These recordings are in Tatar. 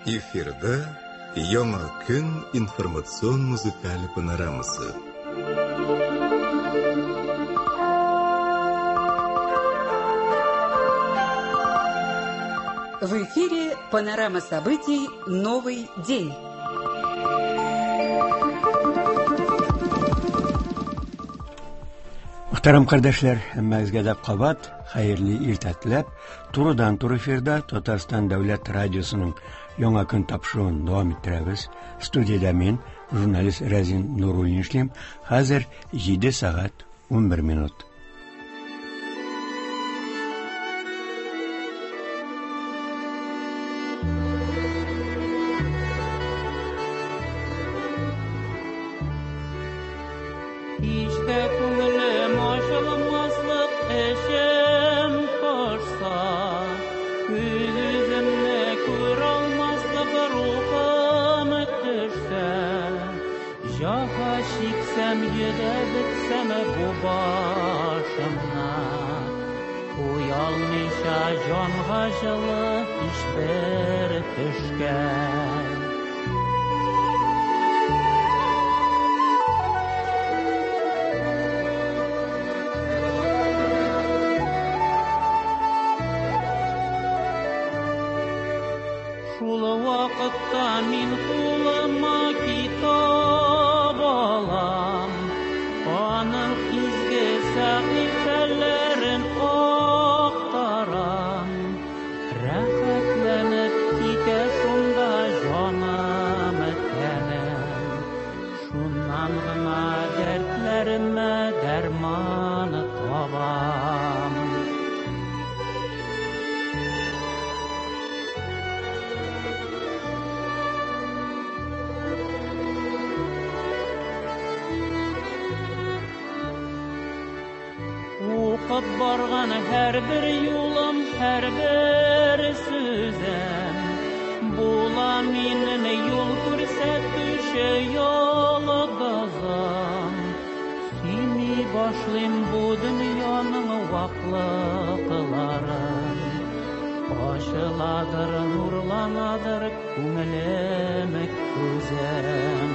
Эфирда Яңа көн информацион музыкаль панорамасы. В эфире панорама событий «Новый день». Мөхтәрәм кардәшләр, һәммәгезгә дә кабат хәерле иртә теләп, турыдан-туры эфирда Татарстан дәүләт радиосының Яңа көн тапшыруын дәвам иттерәбез. Студиядә мин, журналист Рәзин Нуруллин эшлим. Хәзер 7 сәгать 11 минут. Һич тә күңелем ачылмаслык эчем пошса, Үз-үземне күралмаслык рухым төшсә, Җәфа чиксәм, йөдәп бетсәм бу башымны, Куялмыйча җанга җылы һичбер төшкә. Шул вакытта мин кулыма китап алам, аның изге сәхифәләрен актарам. Рәхәтләнеп китә шунда җаным, тәнем. Шуннан гына дәртләремә дәрман табам. Укып барган һәрбер юлым, һәрбер сүзем була минем юл күрсәтүче йолдызым. Сөйми башлыйм бу дөньяның ваклыкларын. Ачыладыр, нурланадыр күңелем, күзем.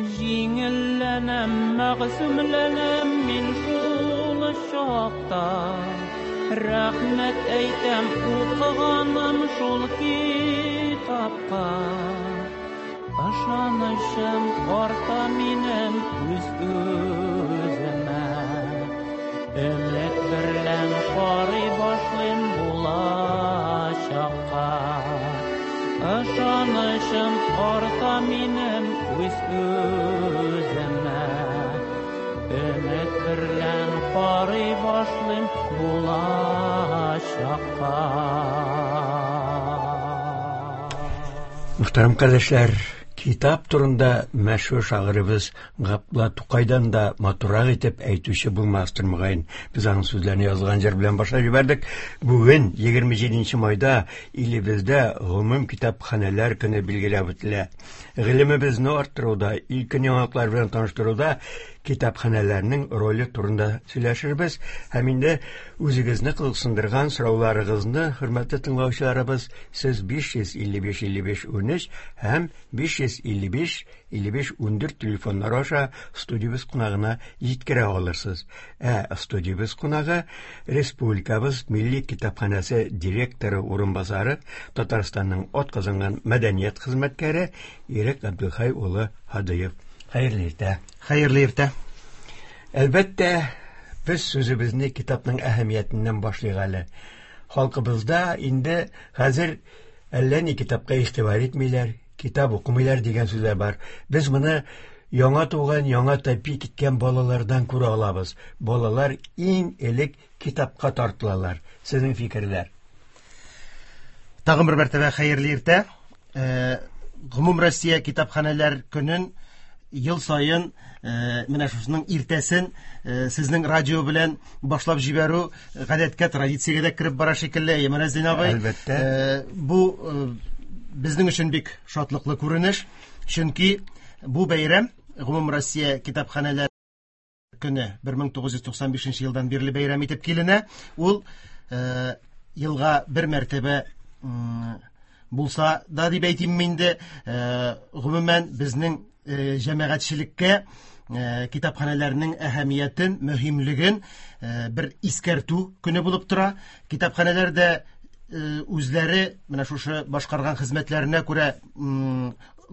Җиңелләнәм, мәгъсүмләнәм мин шул чакта. Рәхмәт әйтәм укыганым шул китапка. Ышанычым арта минем үз-үземә. Өмет берлән карый башлыйм булачакка. Ышанычым арта минем үз-үземә. Өмет берлән карый башлыйм булачакка. Мөхтәрәм кардәшләр, китап турында мәшһүр шагыйребез Габдулла Тукайдан да матуррак итеп әйтүче булмастыр мөгаен. Без аның сүзләрен язылган җыр белән башлап җибәрдек. Бүген, 27 майда, илебездә гомум китапханәләр көне билгеләп үтелә. Гыйлемебезне арттыруда, илкөн яңалыклар белән таныштыруда китапханәләрнең роле турында сөйләшербез. Һәм инде үзегезне кызыксындырган сорауларыгызны, хөрмәтле тыңлаучыларыбыз, сез 555 55 13 һәм 555 55 14 телефоннары аша студиябез кунагына җиткерә алырсыз. Ә студиябез кунагы республикабыз Милли китапханәсе директоры урынбасары, Татарстанның атказанган мәдәният хезмәткәре Ирек Габделхәй улы Һадыев. Хәерле иртә. Хәерле иртә. Әлбәттә, без сүзебезне китапның әһәмиятеннән башлыйк әле. Халкыбызда инде хәзер әллә ни китапка игътибар итмиләр, китап укымыйлар дигән сүзләр бар. Без моны яңа туган, яңа тәпи киткән балалардан күрә алабыз. Балалар иң элек китапка тартылалар. Сезнең фикерләр? Тагын бер мәртәбә хәерле иртә. Гомум Россия китапханәләр көнен ел саен менә шушының иртәсен сезнең радио белән башлап җибәрү гадәткә, традициягә дә кереп бара шикелле, әйе, Рәзин абый. Әлбәттә. Бу безнең өчен бик шатлыклы күренеш. Чөнки бу бәйрәм Гомумроссия китапханәләр көне 1995 елдан бирле бәйрәм итеп киленә. Ул елга бер мәртәбә булса да дип әйтим инде, гомумән безнең җәмәгатьчелеккә китапханәләрнең әһәмиятен, мөһимлеген бер искәртү көне булып тора. Китапханәләр дә үзләре менә шушы башкарган хезмәтләренә күрә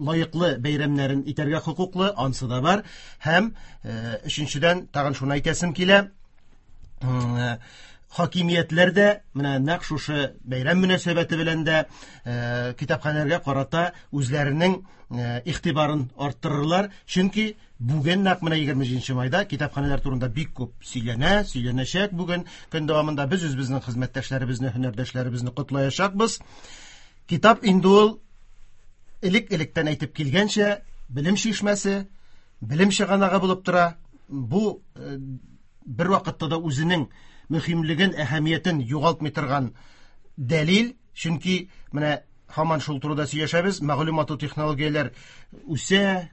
лаеклы бәйрәмнәрен итәргә хокуклы, ансы да бар. Һәм өченчедән тагын шуны әйтәсем килә. Хакимиятләр дә менә нәкъ шушы бәйрәм мөнәсәбәте белән дә китапханәләргә карата үзләренең игътибарын арттырырлар. Чөнки бүген нәкъ менә 27 майда китапханәләр турында бик күп сөйләнә, сөйләнәчәк бүген. Көн дәвамында без үзебезнең хезмәттәшләребезне, һөнәрдәшләребезне котлаячакбыз. Китап инде ул элек-электән әйтеп килгәнчә, белем чишмәсе, белем чыганагы булып тора. Бу бер вакытта да үзенең мөһимлеген, әһәмиятен югалтмый торган дәлил, чөнки менә һаман шул турыда сөйләшәбез, мәгълүмату технологияләр үсә,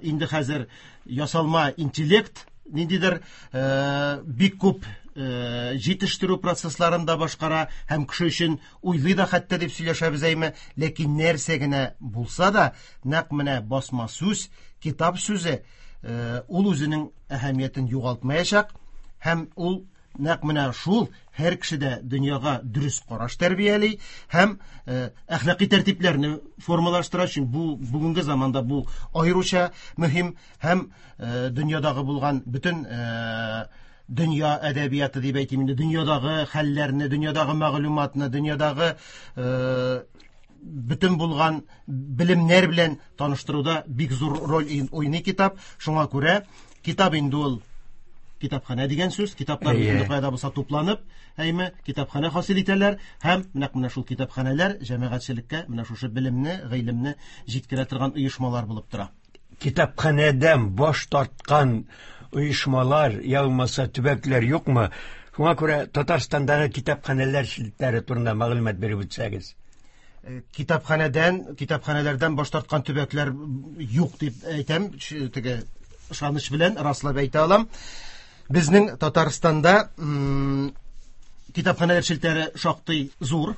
инде хәзер ясалма интеллект ниндидер бик күп җитештерү процессларын да башкара һәм кеше өчен уйлый да хәтта дип сөйләшәбез әйме, ләкин нәрсә генә булса да, нәкъ менә басма сүз, китап сүзе ул үзенең әһәмиятен югалтмаячак һәм ул нәкъ менә шул һәр кешедә дөньяга дөрес караш тәрбияли һәм әхлакый тәртипләрне формалаштыра. Чөнки бу бүгенге заманда бу аеруча мөһим һәм дөньядагы булган бөтен дөнья әдәбияты дип әйтим инде, дөньядагы хәлләрне, дөньядагы мәгълүматны, дөньядагы бөтен булган белемнәр белән таныштыруда бик зур роль уйный китап. Шуңа күрә китап инде ул китапханә дигән сүз, китаплар бөтен кайда булса тупланып, әйме, китапханә хасил итәләр һәм нәкъ менә шул китапханәләр җәмәгатьчелеккә менә шушы белемне, гыйлемне җиткерә торган оешмалар булып тора. Китапханәдән баш тарткан оешмалар, я булмаса төбәкләр юкмы? Шуңа күрә Татарстандагы китапханәләр челтәре турында мәгълүмат биреп үтсәгез. Китапханәдән, китапханәләрдән баш тарткан төбәкләр юк дип әйтәм, теге ышаныч белән раслап әйтә алам. Безнең Татарстанда китапханәләр челтәре шактый зур.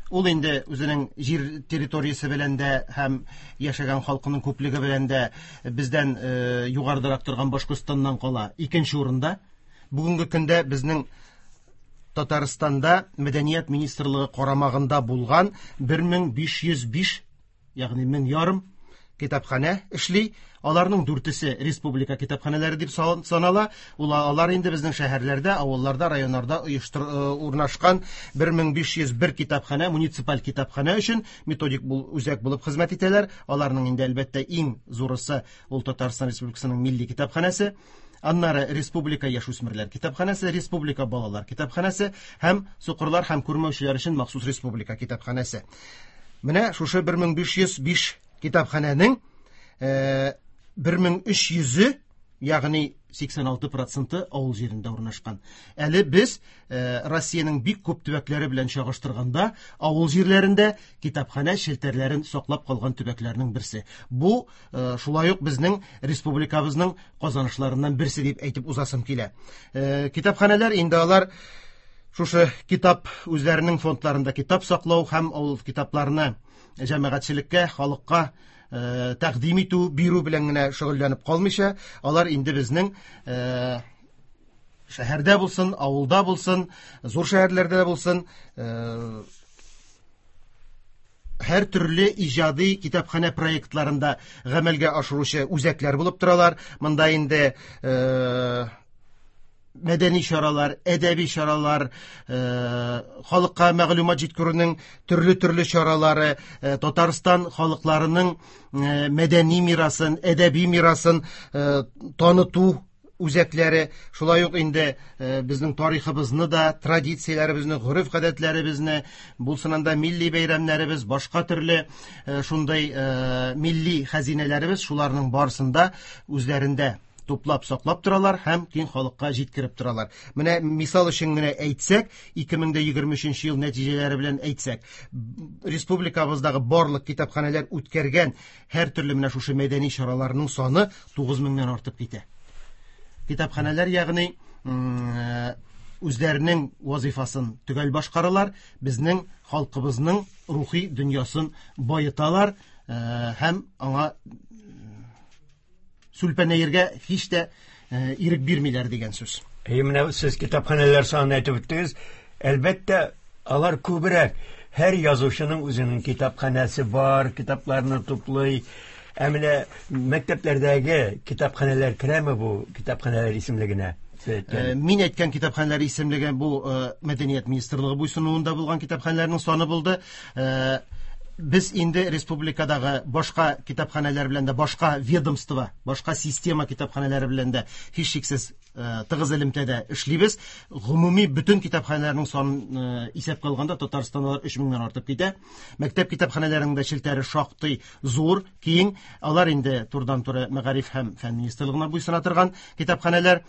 Ул инде үзенең җир территориясе белән дә һәм яшәгән халкының күплеге белән дә бездән югарыдарак торган Башкортстаннан кала икенче урында. Бүгенге көндә безнең Татарстанда Мәдәният министрлыгы карамагында булган 1505, ягъни мең ярым китапханә эшли. Аларның дүртесе республика китапханәләре дип санала. Алар инде безнең шәһәрләрдә, авылларда, районнарда урнашкан 1501 китапханә, муниципаль китапханә өчен методик үзәк булып хезмәт итәләр. Аларның инде әлбәттә иң зурысы ул Татарстан Республикасының милли китапханәсе. Аннары Республика яшүсмерләр китапханәсе, Республика балалар китапханәсе һәм сукырлар һәм күрмәүчеләр өчен махсус республика китапханәсе. Менә шушы 1505 китапханәнең 1300-е, ягъни 86% авыл җирендә урнашкан. Әле без Россиянең бик күп төбәкләре белән чагыштырганда авыл җирләрендә китапханә челтәрләрен саклап калган төбәкләрнең берсе. Бу шулай ук безнең республикабызның казанышларыннан берсе дип әйтеп узасым килә. Китапханәләр инде алар шушы китап үзләренең фондларында китап саклау һәм ул китапларны җәмәгатьчелеккә, халыкка тәкъдим итү, бирү белән генә шөгыльләнеп калмыйча, алар инде безнең шәһәрдә булсын, авылда булсын, зур шәһәрләрдә булсын, һәр төрле иҗади китапханә проектларында гамәлгә ашыручы үзәкләр булып торалар. Монда инде мәдәни чаралар, әдәби чаралар, халыкка мәгълүмат җиткерүнең төрле-төрле чаралары, Татарстан халыкларының мәдәни мирасын, әдәби мирасын таныту үзәкләре, шулай ук инде безнең тарихыбызны да, традицияләребезне, гореф-гадәтләребезне, булсын анда милли бәйрәмнәребез, башка төрле шундый милли хәзинәләребез, шуларның барысын да үзләрендә туплап саклап торалар һәм киң халыкка җиткереп торалар. Менә мисал өчен генә әйтсәк, 2023 ел нәтиҗәләре белән әйтсәк, республикабыздагы барлык китапханәләр үткәргән һәр төрле менә шушы мәдәни чараларның саны 9000-нән артып китә. Китапханәләр, ягъни үзләренең вазифасын төгәл башкаралар, безнең халкыбызның рухи дөньясын баеталар һәм аңа сүлпәнәергә һич тә ирек бирмиләр дигән сүз. Әйе, менә сез китапханәләр санын әйтеп үттегез. Әлбәттә, алар күбрәк. Һәр язучының үзенең китапханәсе бар, китапларны туплый. Ә менә мәктәпләрдәге китапханәләр керәме бу китапханәләр исемлегенә? Мин әйткән китапханәләр исемлеге бу Мәдәният министрлыгы буйсынуында булган китапханәләрнең саны булды. Без инде республикадагы башка китапханәләр белән дә, башка ведомство, башка система китапханәләре белән дә һичшиксез тыгыз элемтәдә эшлибез. Гомуми бөтен китапханәләрнең санын исәпкә алганда Татарстанда алар 3000-нән артып китә. Мәктәп китапханәләренең дә челтәре шактый зур, киң. Алар инде турыдан-туры Мәгариф һәм фән министрлыгына буйсына торган китапханәләр.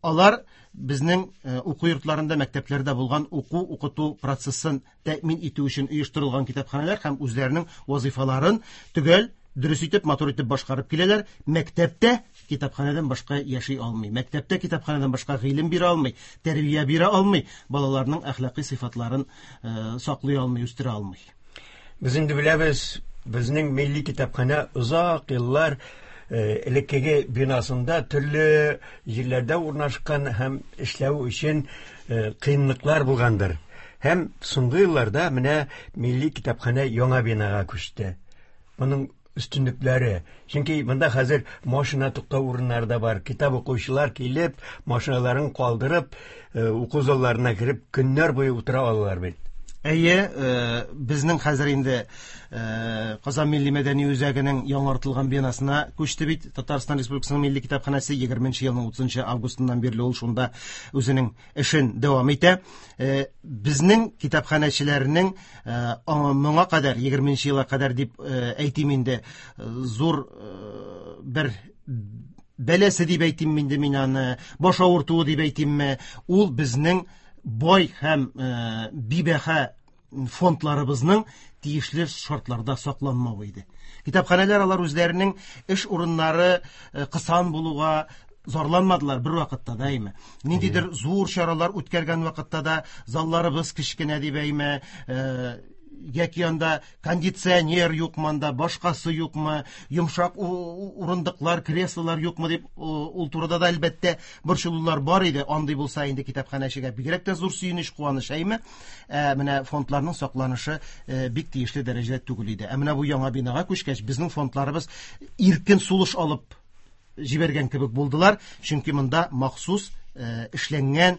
Алар безнең уку йортларында, мәктәпләрдә булган уку-укыту процессын тәэмин итү өчен оештырылган китапханәләр һәм үзләренең вазифаларын төгәл, дөрес итеп, матур итеп башкарып киләләр. Мәктәптә китапханәдән башка яши алмый. Мәктәптә китапханәдән башка гыйлем бирә алмый, тәрбия бирә алмый, балаларның әхлакый сыйфатларын саклый алмый, үстерә алмый. Без инде беләбез, безнең милли китапханә озак еллар элеккеге бинасында төрле җирләрдә урнашкан һәм эшләү өчен кыенлыклар булгандыр. Һәм соңгы елларда менә милли китапханә яңа бинага күчте. Моның өстенлекләре. Чөнки монда хәзер машина туктау урыннары да бар. Китап укучылар килеп, машиналарын калдырып, уку залларына кереп, көннәр буе утыра алалар бит. Әйе, безнең хәзер инде Казан милли мәдәни үзәгенең яңартылган бинасына күчте бит Татарстан Республикасының милли китапханәсе 20 елның 30 августыннан бирле ул шунда үзенең эшен дәвам итә. Безнең китапханәчеләрнең моңа кадәр 20 елга кадәр дип әйтим инде, зур бер бәласе дип әйтим инде мин аны, баш авыртуы дип әйтимме, ул безнең бай һәм бибәһа фондларыбызның тиешле шартларда сакланмавы иде. Китапханәләр алар үзләренең эш урыннары кысан булуга зарланмадылар бер вакытта да, әйме. Ниндидер зур чаралар үткәргән вакытта да залларыбыз кечкенә дип әйме, яки анда кондиционер юкмы, анда башкасы юкмы, йомшак урындыклар, креслолар юкмы дип, ул турыда да әлбәттә борчылулар бар иде. Андый булса инде китапханәчегә бигрәк тә зур сөенеч, куаныч, әйме. Менә фондларның сакланышы бик тиешле дәрәҗәдә түгел иде. Ә менә бу яңа бинага күчкәч, безнең фондларыбыз иркен сулыш алып җибәргән кебек булдылар, чөнки монда махсус эшләнгән,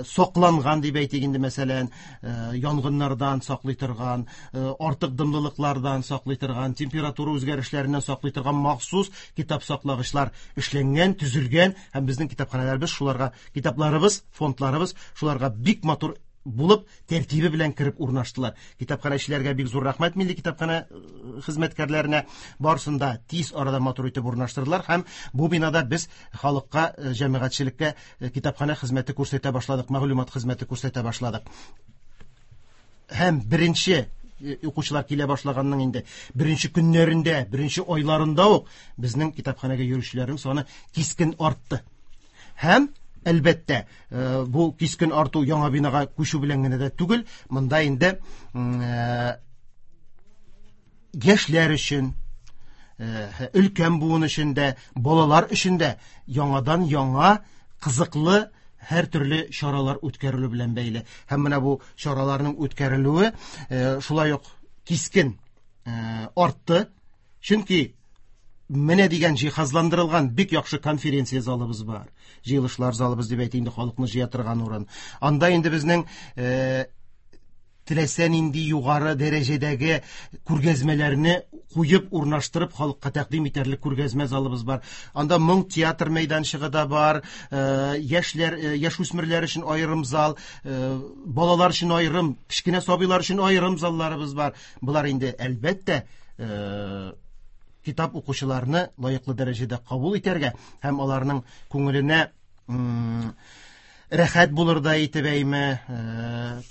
сакланган дип әйтик инде, мәсәлән, янгыннардан саклый торган, артык дымлылыклардан саклый торган, температура үзгәрешләреннән саклый торган махсус китап саклагычлар эшләнгән, төзелгән, һәм безнең китапханәләребез шуларга, китапларыбыз, фондларыбыз шуларга бик матур булып, тәртибе белән кереп урнаштылар. Китапханәчеләргә бик зур рәхмәт, милли китапханә хезмәткәрләренә, барысын да тиз арада матур итеп урнаштырдылар һәм бу бинада без халыкка, җәмәгатьчелеккә китапханә хезмәте күрсәтә башладык, мәгълүмат хезмәте күрсәтә башладык. Һәм беренче укучылар килә башлаганның инде беренче көннәрендә, беренче айларында ук безнең китапханәгә йөрүчеләрнең саны кискен артты. Һәм әлбәттә, бу кискен арту яңа бинага күчү белән генә дә түгел, монда инде яшьләр өчен, өлкән буын өчен дә, балалар өчен дә яңадан яңа кызыклы һәр төрле чаралар үткәрелү белән бәйле. Һәм менә бу чараларның үткәрелүе шулай ук кискен артты. Чөнки менә дигән җиһазландырылган бик яхшы конференция залыбыз бар. Җыелышлар залыбыз дип әйтик инде, халыкны җыя торган урын. Анда инде безнең теләсә нинди югары дәрәҗәдәге күргәзмәләрне куеп, урнаштырып, халыкка тәкъдим итәрлек күргәзмә залыбыз бар. Анда моң театр мәйданчыгы да бар, яшьләр, яшүсмерләр өчен аерым зал, балалар өчен аерым, кечкенә сабыйлар өчен аерым залларыбыз бар. Болар инде әлбәттә, Китап укучыларны лаеклы дәрәҗәдә кабул итәргә һәм аларның күңеленә рәхәт булырдай итеп әйме,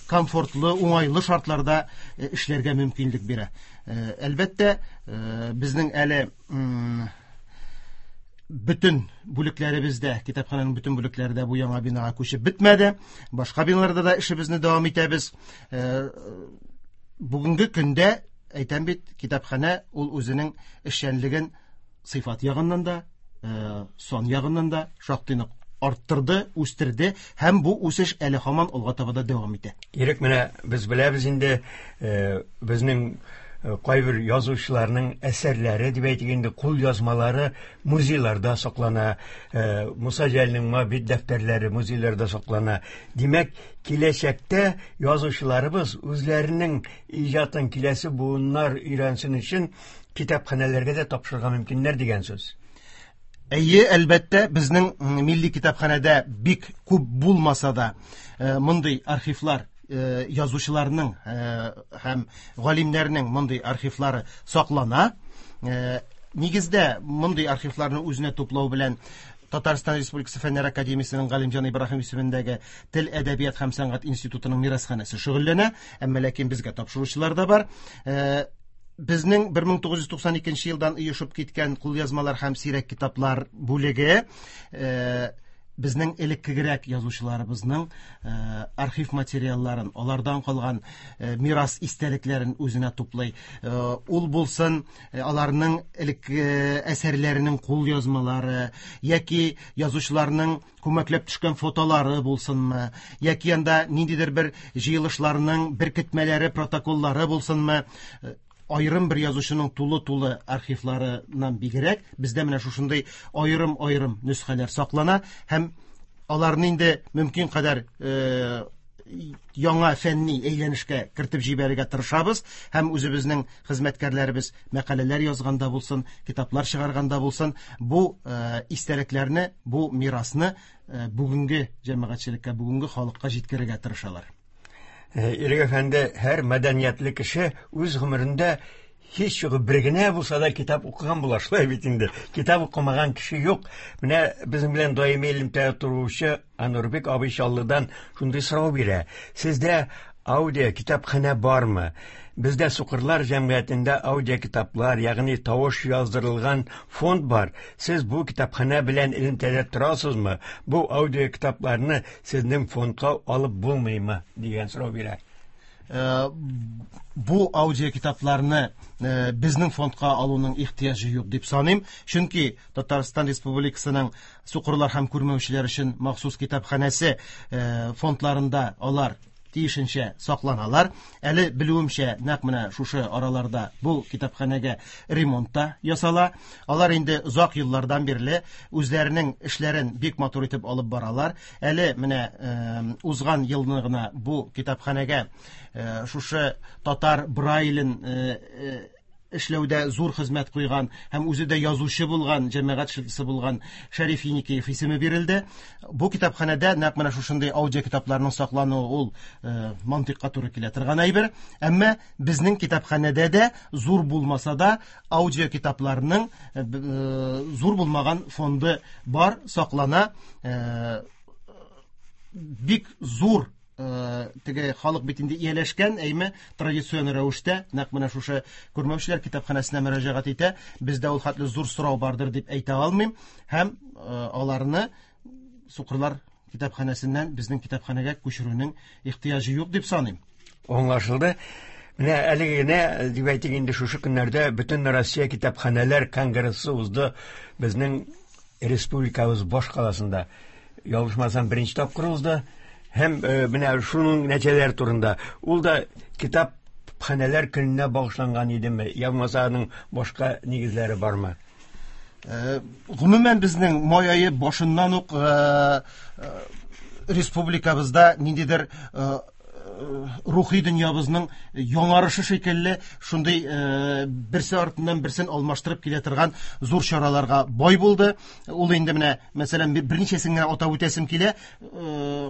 комфортлы, уңайлы шартларда эшләргә мөмкинлек бирә. Әлбәттә, безнең әле бөтен бүлекләребездә, китапханәнең бөтен бүлекләре дә бу яңа бинага күчеп бетмәде. Башка биналарда да эшебезне дәвам итәбез. Бүгенге көндә, әйтәм бит, китапханә ул үзенең эшчәнлеген сыйфат ягыннан да, сан ягыннан да шактый нык арттырды, үстерде һәм бу үсеш әле һаман алга таба да дәвам итә. Ирек, менә без беләбез инде, безнең кайбер язучыларның әсәрләре дип әйтик инде, кул язмалары музейларда саклана. Муса Җәлилнең Моабит дәфтәрләре музейларда саклана. Димәк, киләчәктә язучыларыбыз үзләренең иҗатын киләсе буыннар өйрәнсен өчен китапханәләргә дә тапшырырга мөмкиннәр дигән сүз. Әйе, әлбәттә, безнең милли китапханәдә бик күп булмаса да, мондый архивлар, язучыларның һәм галимнәрнең мондый архивлары саклана. Нигездә мондый архивларны үзенә туплау белән Татарстан Республикасы Фәннәр Академиясенең Галимҗан Ибраһим исемендәге Тел, әдәбият һәм сәнгать институтының мирасханәсе шөгыльләнә, әмма ләкин безгә тапшыручылар да бар. Безнең 1992 елдан оешып киткән кулъязмалар һәм сирәк китаплар бүлеге безнең элеккегерәк язучыларыбызның архив материалларын, алардан калган мирас истәлекләрен үзенә туплый. Ул булсын аларның элекке әсәрләренең кулъязмалары яки язучыларның күмәкләп төшкән фотолары булсынмы, яки анда ниндидер бер җыелышларның беркетмәләре, протоколлары булсынмы, аерым бер язучының тулы-тулы архивларыннан бигрәк, бездә менә шушындый аерым-аерым нөсхәләр саклана һәм аларны инде мөмкин кадәр яңа фәнни әйләнешкә кертеп җибәрергә тырышабыз һәм үзебезнең хезмәткәрләребез мәкаләләр язганда булсын, китаплар чыгарганда булсын, бу истәлекләрне, бу мирасны бүгенге җәмәгатьчелеккә, бүгенге халыкка җиткерергә тырышалар. Ирек әфәнде, һәр мәдәниятле кеше үз гомерендә һич югы бер генә булса да китап укыган була, шулай бит инде. Китап укымаган кеше юк. Менә безнең белән даими элемтәдә торучы Анурбек абый Чаллыдан шундый сорау бирә. Сездә аудио китапханә бармы? Бездә сукырлар җәмгыятендә аудио китаплар, ягъни тавыш яздырылган фонд бар. Сез бу китапханә белән элемтәдә торасызмы? Бу аудио китапларны сезнең фондка алып булмыймы? Дигән сорау бирә. Бу аудио китапларны безнең фондка алуның ихтыяҗы юк дип саныйм, чөнки Татарстан Республикасының сукырлар һәм күрмәүчеләр өчен махсус китапханәсе фондларында алар тиешенчә сакланалар. Әле белүемчә, нәкъ менә шушы араларда бу китапханәгә ремонт та ясала. Алар инде озак еллардан бирле үзләренең эшләрен бик матур итеп алып баралар. Әле менә узган елны гына бу китапханәгә шушы татар Брайлен эшләүдә зур хезмәт куйган һәм үзе дә язучы булган, җәмәгать эшлеклесе булган Шәриф Еникеев исеме бирелде. Бу китапханәдә нәкъ менә шушындый аудио китапларның саклануы ул мантыйкка туры килә торган әйбер. Әмма безнең китапханәдә дә зур булмаса да аудио китапларның зур булмаган фонды бар, саклана. Бик зур теге халык бит инде ияләшкән, әйме, традицион рәвештә нәкъ менә шушы күрмәүчеләр китапханәсенә мөрәҗәгать итә. Бездә ул хәтле зур сорау бардыр дип әйтә алмыйм һәм аларны сукырлар китапханәсеннән безнең китапханәгә күчерүнең ихтыяҗы юк дип саныйм. Аңлашылды. Менә әлеге генә дип әйтик инде, шушы көннәрдә бөтен Россия китапханәләр конгрессы узды безнең республикабыз баш каласында. Ялгышмасам, беренче тапкыр узды. Һәм менә шуның нәтиҗәләре турында. Ул да китапханәләр көненә багышланган идеме, я булмаса аның башка нигезләре бармы? Гомумән безнең май ае башыннан ук республикабызда ниндидер рухи дөньябызның яңарышы шикелле шундый берсе артыннан берсен алмаштырып килә торган зур чараларга бай булды. Ул инде менә, мәсәлән, берничәсен генә атап үтәсем килә.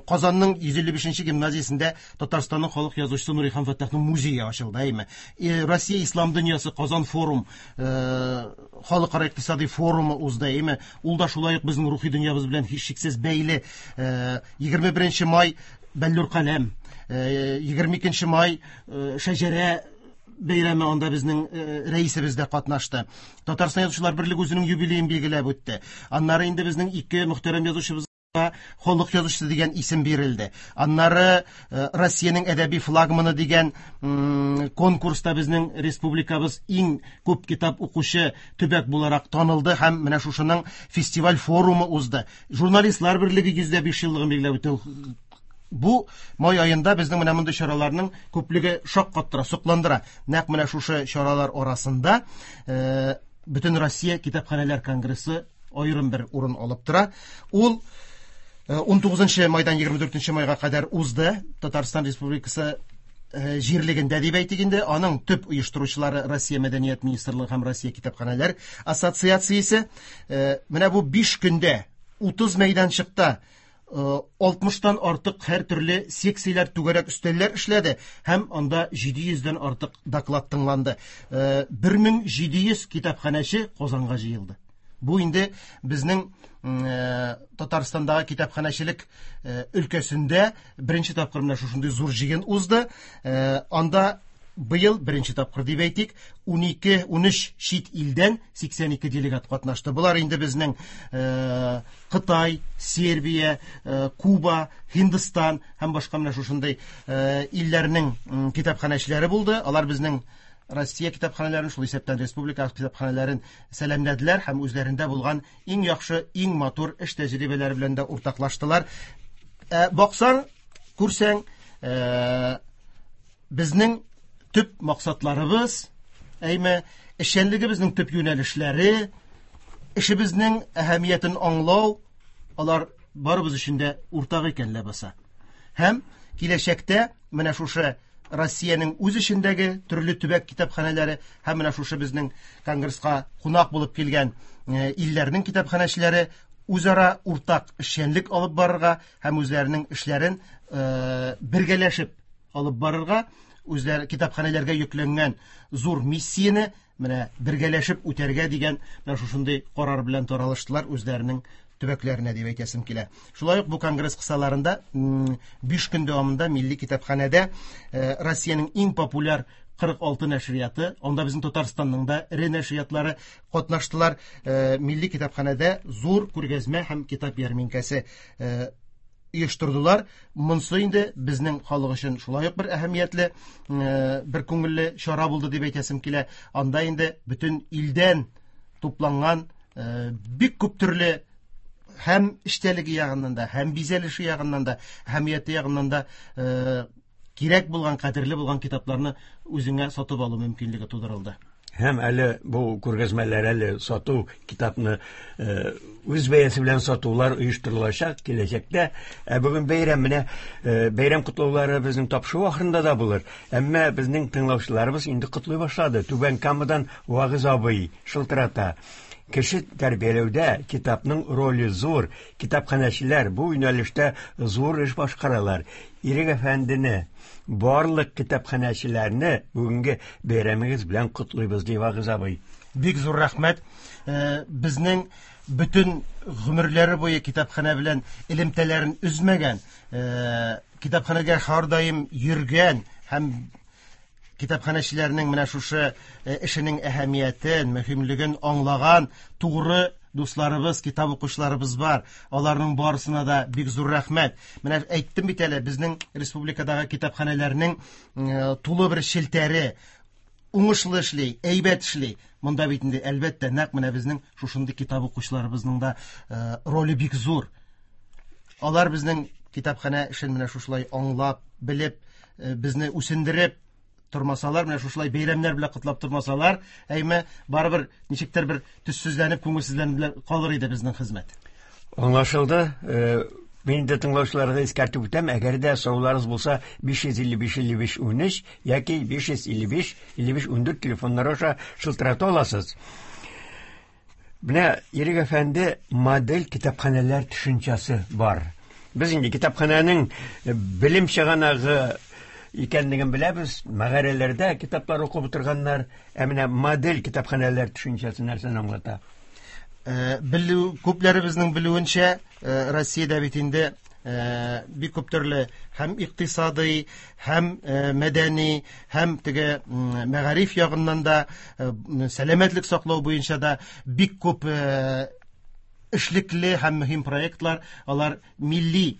Казанның 155 гимназиясендә Татарстанның халык язучысы Нурихан Фәттахның музее ачылды, әйме. Россия ислам дөньясы Казан форум, халыкара икътисади форумы узды, әйме. Ул да шулай ук безнең рухи дөньябыз белән һичшиксез бәйле. 21 май Бәллүр каләм, 22 май Шәҗәрә бәйрәме, анда безнең рәисебез дә катнашты. Татарстан Язучылар берлеге үзенең юбилеен билгеләп үтте. Аннары инде безнең ике мөхтәрәм язучыбыз халык язучысы дигән исем бирелде. Аннары Россиянең әдәби флагманы дигән конкурста безнең республикабыз иң күп китап укучы төбәк буларак танылды һәм менә шушының фестиваль форумы узды. Журналистлар берлеге 105 еллыгын билгеләп үтте. Бу май аенда безнең менә мондый чараларның күплеге шаккаттыра, сокландыра. Нәкъ менә шушы чаралар арасында Бөтен Россия китапханәләр конгрессы аерым бер урын алып тора. Ул 19 майдан 24 майга кадәр узды. Татарстан Республикасы җирлегендә дип әйтик инде, аның төп оештыручылары Россия Мәдәният министрлыгы һәм Россия китапханәләр ассоциациясе. Менә бу 5 көндә 30 мәйданчыкта 60-тан артык һәр төрле секцияләр, түгәрәк өстәлләр эшләде һәм анда 700-дән артык доклад тыңланды. 1700 китапханәче Казанга җыелды. Бу инде безнең Татарстандагы китапханәчелек өлкәсендә беренче тапкыр менә шушындый зур җыен узды. Анда быел беренче тапкыр дип әйтик, 12-13 чит илдән 82 делегат катнашты. Болар инде безнең Кытай, Сербия, Куба, Һиндстан һәм башка менә шушындый илләрнең китапханәчеләре булды. Алар безнең Россия китапханәләрен, шул исәптән республика китапханәләрен сәламләделәр һәм үзләрендә булган иң яхшы, иң матур эш тәҗрибәләре белән дә уртаклаштылар. Баксаң, күрсәң, безнең төп максатларыбыз, әйме, эшчәнлегебезнең төп юнәлешләре, эшебезнең әһәмиятен аңлау, алар барыбыз өчен дә уртак икән ләбаса. Һәм киләчәктә менә шушы Россиянең үз эчендәге төрле төбәк китапханәләре һәм менә шушы безнең конгресска кунак булып килгән илләрнең китапханәчеләре үзара уртак эшчәнлек алып барырга һәм үзләренең эшләрен бергәләшеп алып барырга, үзләре китапханәләргә йөкләнгән зур миссияне менә бергәләшеп үтәргә дигән менә шушындый карар белән таралыштылар үзләренең төбәкләренә дип әйтәсем килә. Шулай ук бу конгресс кысаларында 5 көн дәвамында Милли китапханәдә Россиянең иң популяр 46 нәшрияты, анда безнең Татарстанның да эре нәшриятлары катнаштылар. Милли китапханәдә зур күргәзмә һәм китап ярминкәсе оештырдылар. Монсы инде безнең халык өчен шулай ук бер әһәмиятле, бер күңелле чара булды дип әйтәсем килә. Анда инде бөтен илдән тупланган бик күп төрле һәм эчтәлеге ягыннан да, һәм бизәлеше ягыннан да, әһәмияте ягыннан да кирәк булган, кадерле булган китапларны үзеңә сатып алу мөмкинлеге тудырылды. Һәм әле бу күргәзмәләр, әле сату, китапны үз бәясе белән сатулар оештырылачак киләчәктә. Ә бүген бәйрәм, менә бәйрәм котлаулары безнең тапшыру ахырында да булыр. Әмма безнең тыңлаучыларыбыз инде котлый башлады. Түбән Камадан Вагыз абый шылтырата. Кеше тәрбияләүдә китапның роле зур. Китапханәчеләр бу юнәлештә зур эш башкаралар. Ирек әфәндене, барлык китапханәчеләрне бүгенге бәйрәмегез белән котлыйбыз, ди Вагыз абый. Бик зур рәхмәт. Безнең бөтен гомерләре буе китапханә белән элемтәләрен өзмәгән, китапханәгә һәрдаим йөргән һәм китапханәчеләрнең менә шушы эшенең әһәмиятен, мөһимлеген аңлаган тугры дусларыбыз, китап укучыларыбыз бар. Аларның барысына да бик зур рәхмәт. Менә әйттем бит әле, безнең республикадагы китапханәләрнең тулы бер челтәре уңышлы эшли, әйбәт эшли. Монда бит инде, әлбәттә, нәкъ менә безнең шушындый китап укучыларыбызның да роле бик зур. Алар безнең китапханә эшен менә шушылай аңлап, белеп, безне үсендереп тормасалар, менә шушылай бәйрәмнәр белән котлап тормасалар, әйме, барыбер ничектер бер төссезләнеп, күңелсезләнеп калыр иде безнең хезмәт. Аңлашылды. Мин инде тыңлаучыларга искәртеп үтәм, әгәр дә сорауларыгыз булса, 555 55 13 яки 555 55 14 телефоннары аша шылтырата аласыз. Менә Ирек әфәнде, модель китапханәләр төшенчәсе бар. Без инде китапханәнең белем чыганагы икәнлеген беләбез. Мәгарәләрдә китаплар укып утырганнар. Ә менә модель китапханәләр төшенчәсе нәрсәне аңлата? Белү, күпләребезнең белүенчә, Россиядә бит инде бик күп төрле һәм икътисадый, һәм мәдәни, һәм теге мәгариф ягыннан да, сәламәтлек саклау буенча да бик күп эшлекле һәм мөһим проектлар, алар милли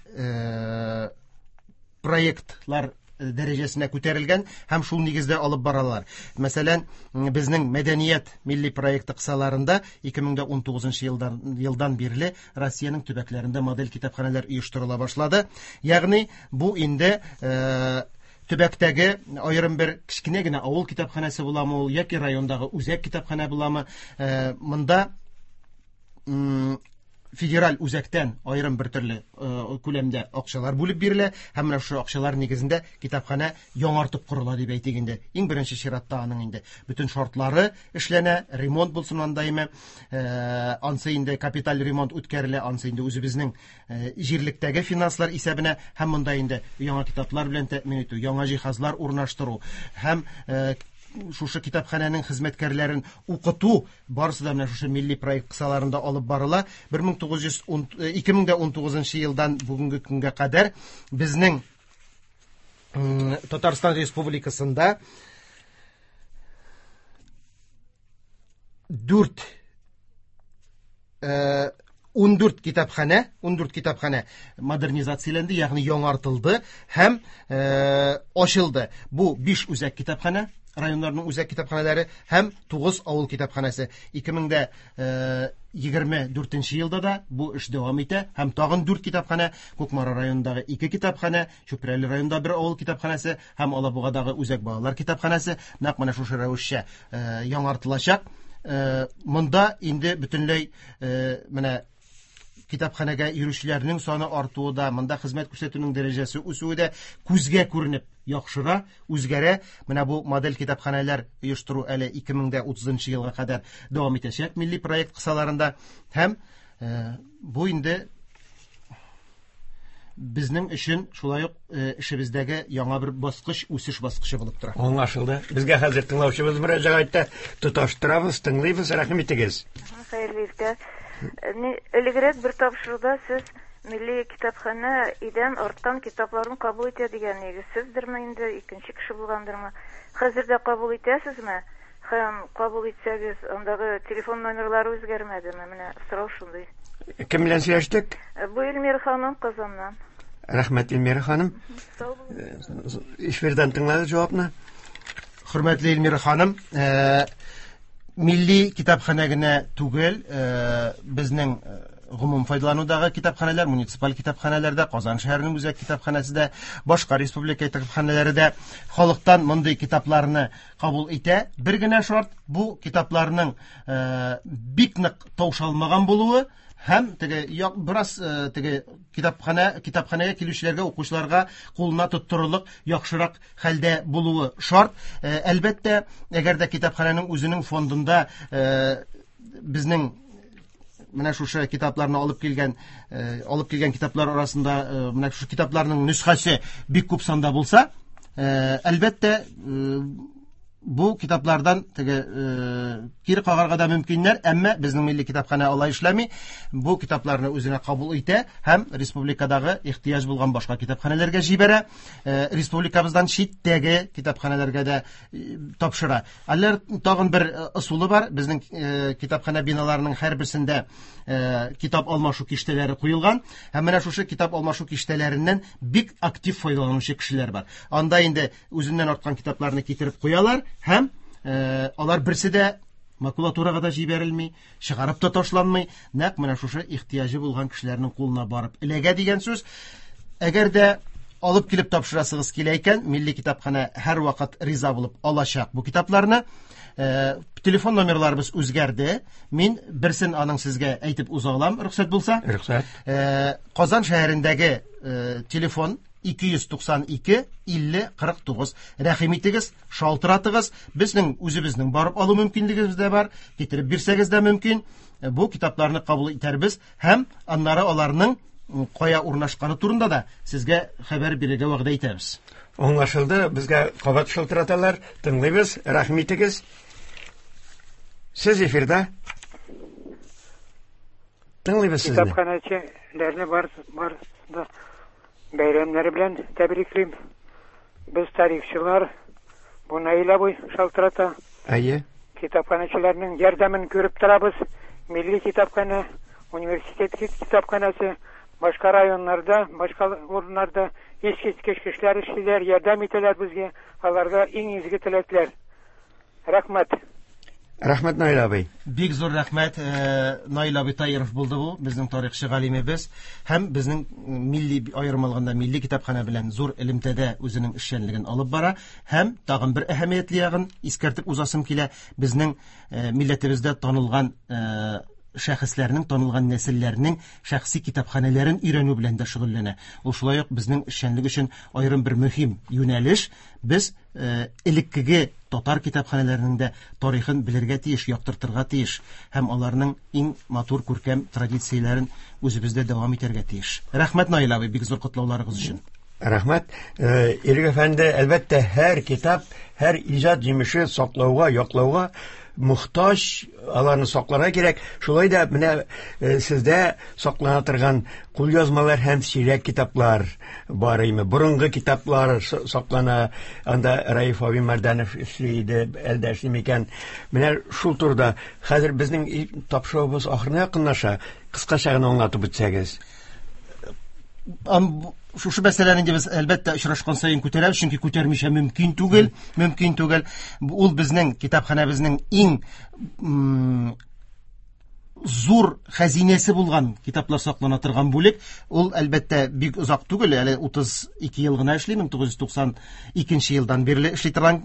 проектлар дәрәҗәсенә күтәрелгән һәм шул нигездә алып баралар. Мәсәлән, безнең мәдәният милли проекты кысаларында ике мең дә ун тугызынчы елдан бирле Россиянең төбәкләрендә модель китапханәләр оештырыла башлады. Ягъни бу инде төбәктәге аерым бер кечкенә генә авыл китапханәсе буламы ул яки райондагы үзәк китапханә буламы, монда федераль үзәктән аерым бер төрле күләмдә акчалар бүлеп бирелә һәм менә шушы акчалар нигезендә китапханә яңартып корыла дип әйтик инде. Иң беренче чиратта аның инде бөтен шартлары эшләнә, ремонт булсын андаймы, ансы инде капиталь ремонт үткәрелә, ансы инде үзебезнең җирлектәге финанслар исәбенә һәм монда инде яңа китаплар белән тәэмин итү, яңа җиһазлар урнаштыру һәм шушы китапханәнең хезмәткәрләрен укыту барысы да менә шушы милли проект кысаларында алып барыла. Бер мең тугыз йөз ун ике мең дә ун тугызынчы елдан бүгенге көнгә кадәр безнең Татарстан Республикасында ундүрт китапханә, ундүрт китапханә модернизацияләнде, ягъни яңартылды һәм ачылды. Бу 5 үзәк китапханә, районнарның үзәк китапханәләре һәм 9 авыл китапханәсе. Ике мең дә егерме дүртенче елда да бу эш дәвам итә һәм тагын 4 китапханә, Кукмара районындагы 2 китапханә, Чүпрәле районында 1 авыл китапханәсе һәм Алабугадагы үзәк балалар китапханәсе нәкъ менә шушы рәвешчә яңартылачак. Монда инде бөтенләй менә китапханәгә йөрүчеләрнең саны артуы да, монда хезмәт күрсәтүнең дәрәҗәсе үсүе дә күзгә күренеп яхшыра, үзгәрә. Менә бу модель китапханәләр оештыру әле ике мең дә утызынчы елга кадәр дәвам итәчәк милли проект кысаларында һәм бу инде безнең өчен шулай ук эшебездәге яңа бер баскыч, үсеш баскычы булып тора. Аңлашылды. Безгә хәзер тыңлаучыбыз мөрәҗәгать итә. Тоташтырабыз, тыңлыйбыз. Рәхим итегез. Хәерле иртә. Элегрәк бер тапшыруда сез милли китапханә идән арткан китапларын кабул итә дигән идегез. Сездерме инде, икенче кеше булгандырмы? Хәзер дә кабул итәсезме? Һәм кабул итсәгез, андагы телефон номерлары үзгәрмәдеме? Менә сорау шундый. Кем белән сөйләштек? Бу Эльмира ханым Казаннан. Рәхмәт, Эльмира ханым. Сау булыгыз. Эфирдан тыңладык җавапны. Хөрмәтле Эльмира ханым, милли китапханә генә түгел, безнең гомум файдаланудагы китапханәләр, муниципаль китапханәләрдә, Казан шәһәренең үзәк китапханәсе дә, башка республика китапханәләре дә халыктан мондый китапларны кабул итә. Бер генә шарт, бу китапларның бик нык таушалмаган булуы һәм теге як, бераз теге китапханәгә килүчеләргә, укучыларга кулына тоттырырлык яхшырак хәлдә булуы шарт. Әлбәттә, әгәр дә китапханәнең үзенең фондында безнең менә шушы китапларны алып килгән китаплар арасында менә шушы китапларның нөсхәсе бик күп санда булса, әлбәттә, бу китаплардан теге кире кагарга да мөмкиннәр, әмма безнең милли китапханә алай эшләми. Бу китапларны үзенә кабул итә һәм республикадагы ихтыяҗ булган башка китапханәләргә җибәрә, республикабыздан читтәге китапханәләргә дә тапшыра. Әллә тагын бер ысулы бар. Безнең китапханә биналарының һәрберсендә китап алмашу киштәләре куелган һәм менә шушы китап алмашу киштәләреннән бик актив файдаланучы кешеләр бар. Анда инде үзеннән арткан китапларны китереп куялар һәм алар берсе дә макулатурага да җибәрелми, чыгарып та ташланмый, нәкъ менә шушы ихтыяҗы булган кешеләрнең кулына барып эләгә дигән сүз. Әгәр дә Алып килеп тапшырасыгыз килә икән, Милли китапханә һәрвакыт риза булып алачак бу китапларны. Телефон номерларыбыз үзгәрде. Мин берсен аның сезгә әйтеп уза алам, рөхсәт булса. Рөхсәт. Казан шәһәрендәге телефон 292 50 49. Рәхим итегез, шалтыратыгыз. Безнең үзебезнең барып алу мөмкинлегебез дә бар, китереп бирсәгез дә мөмкин. Бу китапларны кабул итәрбез һәм аннары аларның кая урнашканы турында да сезгә хәбәр бирергә вәгъдә итәбез. Аңлашылды, безгә кабат шалтыраталар, тыңлыйбыз, рәхим итегез. Сез эфирда. Тыңлыйбыз сезне. Китапханәчеләрне бар бар да бәйрәмнәре белән тәбриклим. Без тарихчылар, бу Наил абый шалтырата. Әйе. Китапханәчеләрнең ярдәмен күреп торабыз. Милли китапханә, университет китапханәсе, башка районнарда, башка урыннарда искиткеч кешеләр эшлиләр, ярдәм итәләр безгә. Аларга иң изге теләкләр. Рәхмәт. Рәхмәт, Наил абый. Бик зур рәхмәт, Наил абый Таиров булды бу, безнең тарихчы галимебез һәм безнең милли, аерым алганда милли китапханә белән зур элемтәдә үзенең эшчәнлеген алып бара. Һәм тагын бер әһәмиятле ягын искәртеп узасым килә, безнең милләтебездә танылган шәхесләрнең, танылган нәселләрнең шәхси китапханәләрен өйрәнү белән дә шөгыльләнә. Ул шулай ук безнең эшчәнлек өчен аерым бер мөһим юнәлеш. Без элеккеге татар китапханәләренең дә тарихын белергә тиеш, яктыртырга тиеш һәм аларның иң матур күркәм традицияләрен үзебездә дәвам итәргә тиеш. Рәхмәт, Наил абый, бик зур котлауларыгыз өчен. Рәхмәт. Ирек әфәнде, әлбәттә, һәр китап, һәр иҗат җимеше саклауга, яклауга мохтаҗ, аларны сакларга кирәк. Шулай да менә сездә саклана торган кулъязмалар һәм сирәк китаплар бар име? Борынгы китаплар саклана. Анда Раиф абый Мәрдәнов эшли иде, әлдә эшли микән? Менә шул турыда хәзер безнең тапшыруыбыз ахырына якынлаша. Кыскача гына аңлатып үтсәгез. Шушы мәсьәләне инде без әлбәттә очрашкан саен күтәрәбез, чөнки күтәрмичә мөмкин түгел, мөмкин түгел. Ул безнең китапханәбезнең иң зур хәзинәсе булган китаплар саклана торган бүлек. Ул әлбәттә бик озак түгел, әле 32 ел гына эшли, 1992 елдан бирле эшли торган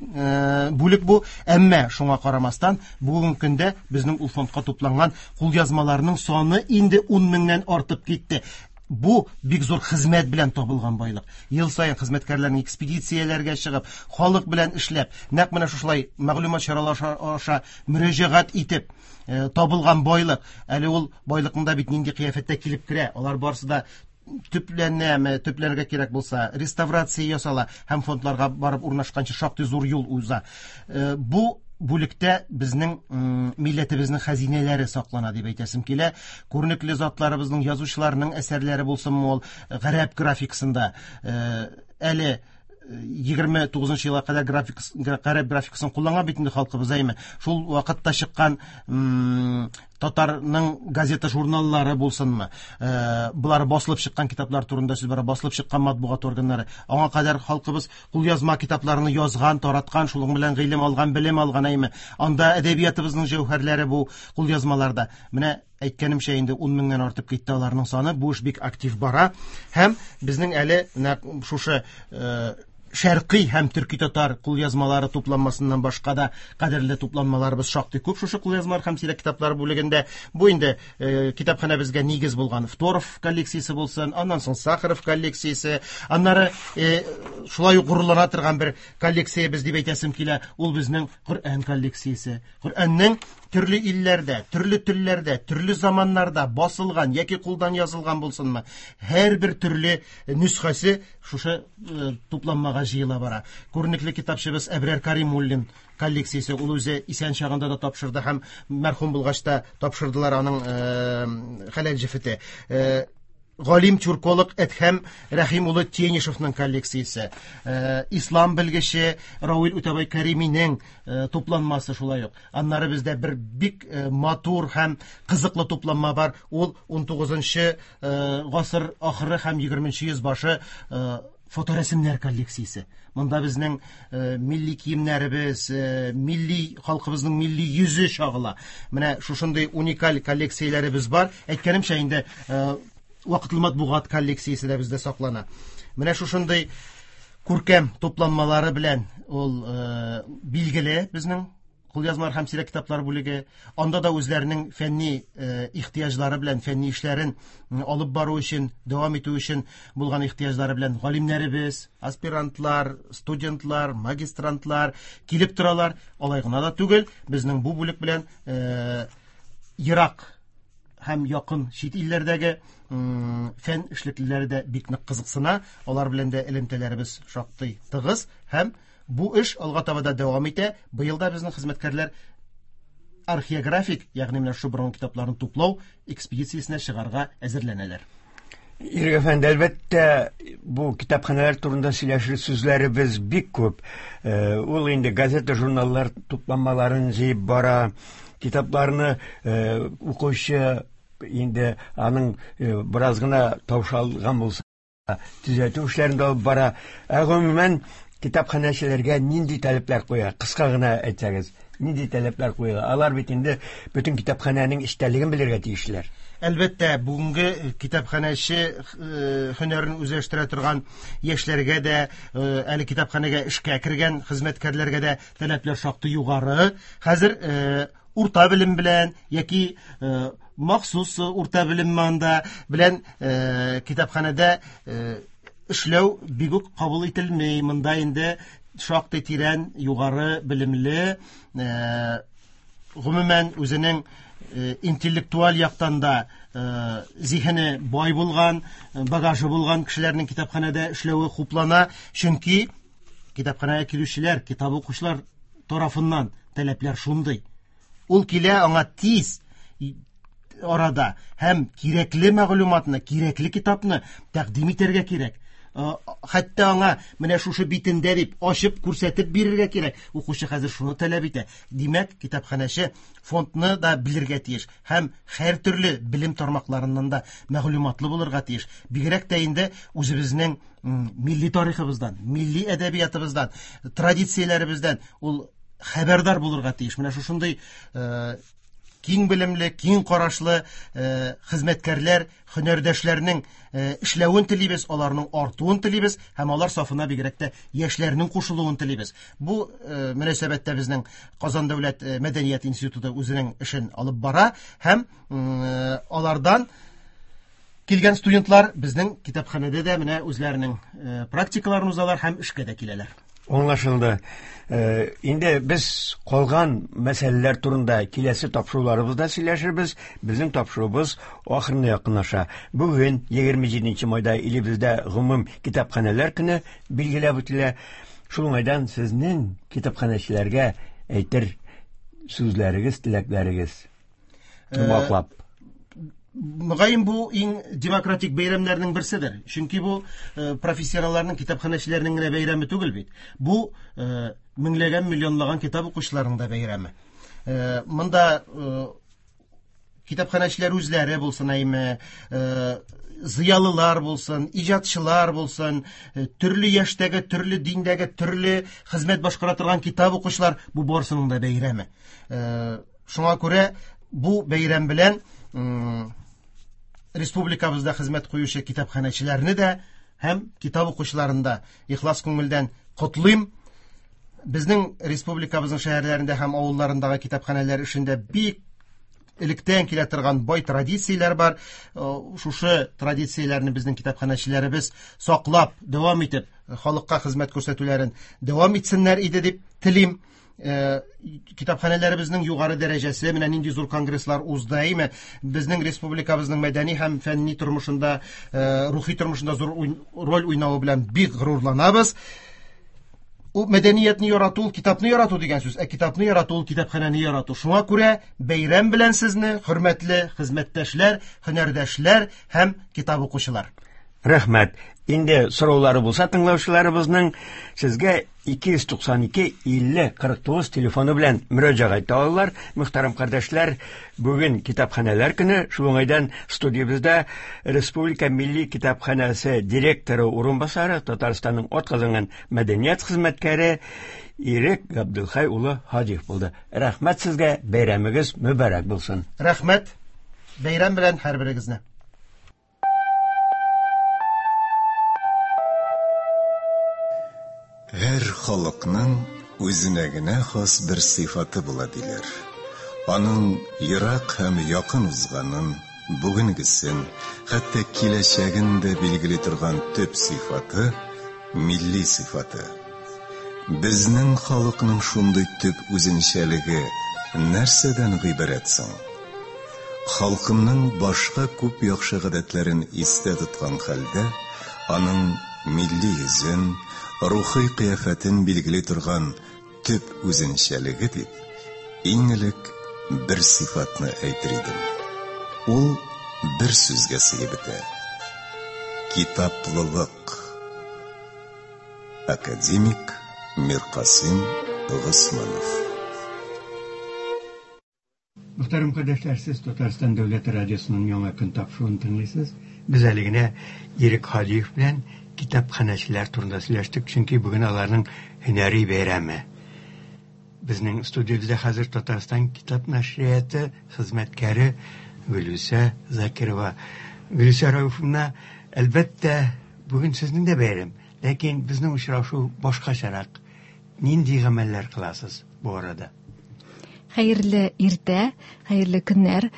бүлек бу. Әмма шуңа карамастан, бүгенге көндә безнең ул фондка тупланган кулъязмаларның саны инде 10 меңнән артып китте. Бу бик зур хезмәт белән табылган байлык. Ел саен хезмәткәрләрнең экспедицияләргә чыгып, халык белән эшләп, нәкъ менә шушылай мәгълүмат чаралары аша мөрәҗәгать итеп табылган байлык. Әле ул байлыкның да бит нинди кыяфәттә килеп керә. Алар барысы да төпләнәме, төпләргә кирәк булса, реставрация ясала һәм фондларга барып урнашканчы шактый зур юл уза. Бу бүлектә безнең милләтебезнең хәзинәләре саклана дип әйтәсем килә. Күренекле затларыбызның, язучыларның әсәрләре булсынмы ул гарәп графикасында, әле егерме тугызынчы елга кадәр гарәп графикасын кулланган бит инде халкыбыз, әйме? Шул вакытта чыккан татарның газета журналлары булсынмы, болар басылып чыккан китаплар турында сүз бара, басылып чыккан матбугат органнары. Аңа кадәр халкыбыз кулъязма китапларны язган, тараткан, шуның белән гыйлем алган, белем алган, әйме? Анда әдәбиятыбызның җәүһәрләре бу кулъязмаларда. Менә әйткәнемчә инде 10 меңнән артып китте аларның саны. Бу эш бик актив бара һәм безнең әле нәкъ шушы шәркый һәм төрки татар кулъязмалары тупланмасыннан башка да кадерле тупланмаларыбыз шактый күп шушы кулъязмалар һәм сирәк китаплар бүлегендә. Бу инде китапханәбезгә нигез булган Второв коллекциясе булсын, аннан соң Сахаров коллекциясе, аннары шулай ук горурлана торган бер коллекциябез дип әйтәсем килә, ул безнең Коръән коллекциясе. Коръәннең төрле илләрдә, төрле телләрдә, төрле заманнарда басылган яки кулдан язылган булсынмы, һәрбер төрле нөсхәсе шушы тупланмага җыела бара. Күренекле китапчыбыз Әбрар Каримуллин коллекциясе, ул үзе исән чагында да тапшырды һәм мәрхүм булгач та тапшырдылар аның хәләл җефете. Галим тюрколог Әдһәм Рәхим улы Тенишевның коллекциясе, ислам белгече Равил Үтәбай Кәриминең тупланмасы шулай ук. Аннары бездә бер бик матур һәм кызыклы тупланма бар. Ул ун тугызынчы гасыр ахыры һәм егерменче йөз башы фоторәсемнәр коллекциясе. Монда безнең милли киемнәребез, милли халкыбызның милли йөзе чагыла. Менә шушындый уникаль коллекцияләребез бар. Әйткәнемчә инде вакытлы матбугат коллекциясе дә бездә саклана. Менә шушындый күркәм тупланмалары белән ул билгеле безнең кулъязмалар һәм сирәк китаплар бүлеге. Анда да үзләренең фәнни ихтыяҗлары белән, фәнни эшләрен алып бару өчен, дәвам итү өчен булган ихтыяҗлары белән галимнәребез, аспирантлар, студентлар, магистрантлар килеп торалар. Алай гына да түгел, безнең бу бүлек белән ерак һәм якын чит илләрдәге фән эшлеклеләре дә бик нык кызыксына. Алар белән дә элемтәләребез шактый тыгыз һәм бу эш алга таба да дәвам итә. Быел да безнең хезмәткәрләр археографик, ягъни менә шушы борынгы китапларны туплау экспедициясенә чыгарга әзерләнәләр. Ирек әфәнде, әлбәттә, бу китапханәләр турында сөйләшер сүзләребез бик күп. Ул инде газета, журналлар тупланмаларын җыеп бара, китапларны укучы инде аның бераз гына таушалган булса, төзәтү эшләрен дә алып бара. Ә гомумән, китапханәчеләргә нинди таләпләр куя? Кыска гына әйтсәгез, нинди таләпләр куела? Алар бит инде бөтен китапханәнең эчтәлеген белергә тиешләр. Әлбәттә, бүгенге китапханәче һөнәрен үзләштерә торган яшьләргә дә, әле китапханәгә эшкә кергән хезмәткәрләргә дә таләпләр шактый югары. Хәзер урта белем белән яки махсус урта белем анда белән китапханәдә эшләү бик үк кабул ителми. Монда инде шактый тирән, югары белемле, гомумән үзенең интеллектуаль яктан да зиһене бай булган, багажы булган кешеләрнең китапханәдә эшләве хуплана, чөнки китапханәгә килүчеләр, китап укучылар тарафыннан таләпләр шундый. Ул килә, аңа тиз арада һәм кирәкле мәгълүматны, кирәкле китапны тәкъдим итәргә кирәк. Хәтта аңа менә шушы битендә дип ачып күрсәтеп бирергә кирәк. Укучы хәзер шуны таләп итә. Димәк, китапханәче фондны да белергә тиеш һәм һәр төрле белем тармакларыннан да мәгълүматлы булырга тиеш. Бигрәк тә инде үзебезнең милли тарихыбыздан, милли әдәбиятыбыздан, традицияләребездән ул хәбәрдар булырга тиеш. Менә шушындый киң белемле, киң карашлы хезмәткәрләр, һөнәрдәшләрнең эшләвен телибез, аларның артуын телибез һәм алар сафына бигрәк тә яшьләрнең кушылуын телибез. Бу мөнәсәбәттә безнең Казан дәүләт мәдәният институты үзенең эшен алып бара һәм алардан килгән студентлар безнең китапханәдә дә менә үзләренең практикаларын узалар һәм эшкә дә киләләр. Аңлашылды. Инде без калган мәсьәләләр турында киләсе тапшыруларыбызда сөйләшербез. Безнең тапшыруыбыз ахырына якынлаша. Бүген 27 майда илебездә гомум китапханәләр көне билгеләп үтелә. Шул уңайдан сезнең китапханәчеләргә әйтер сүзләрегез, теләкләрегез. Йомгаклап. Мөгаен бу иң демократик бәйрәмнәрнең берседер. Чөнки бу профессионалларның, китапханәчеләрнең генә бәйрәме түгел бит. Бу меңләгән, миллионлаган китап укучыларның да бәйрәме. Монда китапханәчеләр үзләре булсын, әйме, зыялылар булсын, иҗатчылар булсын, төрле яшьтәге, төрле диндәге, төрле хезмәт башкара торган китап укучылар, бу барысының да бәйрәме. Шуңа күрә бу бәйрәм белән республикабызда хезмәт куючы китапханәчеләрне дә һәм китап укучыларын да ихлас күңелдән котлыйм. Безнең республикабызның шәһәрләрендә һәм авылларындагы китапханәләр эшендә бик электән килә торган бай традицияләр бар. Шушы традицияләрне безнең китапханәчеләребез саклап, дәвам итеп, халыкка хезмәт күрсәтүләрен дәвам итсеннәр иде дип телим. Китапханәләребезнең югары дәрәҗәсе, менә нинди зур конгресслар узды, әйме? Безнең республикабызның мәдәни һәм фәнни тормышында, рухи тормышында зур роль уйнавы белән бик горурланабыз. Ул мәдәниятне ярату, ул китапны ярату дигән сүз, ә китапны ярату ул китапханәне ярату. Шуңа күрә бәйрәм белән сезне, хөрмәтле хезмәттәшләр, һөнәрдәшләр һәм китап укучылар. Рәхмәт. Инде сораулары булса тыңлаучыларыбызның, сезгә 292 50 49 телефоны белән мөрәҗәгать итә алалар. Мөхтәрәм кардәшләр, бүген китапханәләр көне. Шул уңайдан студиябездә Республика Милли китапханәсе директоры урынбасары, Татарстанның атказанган мәдәният хезмәткәре Ирек Габдулхай улы Һадиев булды. Рәхмәт сезгә, бәйрәмегез мөбарәк булсын. Рәхмәт. Бәйрәм белән һәрберегезне. Һәр халыкның үзенә генә хас бер сыйфаты була диләр. Аның ерак һәм якын узганын, бүгенгесен, хәтта киләчәген дә билгели торган төп сыйфаты милли сыйфаты. Безнең халыкның шундый төп үзенчәлеге нәрсәдән гыйбарәт соң? Халкымның башка күп яхшы гадәтләрен истә тоткан хәлдә, аның милли йөзен, рухи кыяфәтен билгели торган төп үзенчәлеге дип, иң элек бер сыйфатны әйтер идем. Ул бер сүзгә сыеп бетә. Китаплылык. Академик Миркасыйм Госманов. Мөхтәрәм кардәшләр, сез Татарстан дәүләт радиосының яңа көн тапшыруын тыңлыйсыз. Без әле генә Ирек Һадиев белән китапханәчеләр турында сөйләштек, чөнки бүген аларның һөнәри бәйрәме. Безнең студиябездә хәзер Татарстан китап нәшрияты хезмәткәре Гөлүсә Закирова. Гөлүсә Рәүфовна, әлбәттә, бүген сезнең дә бәйрәм, ләкин безнең очрашу башкачарак. Нинди гамәлләр кыласыз бу арада? Хәерле иртә, хәерле көннәр.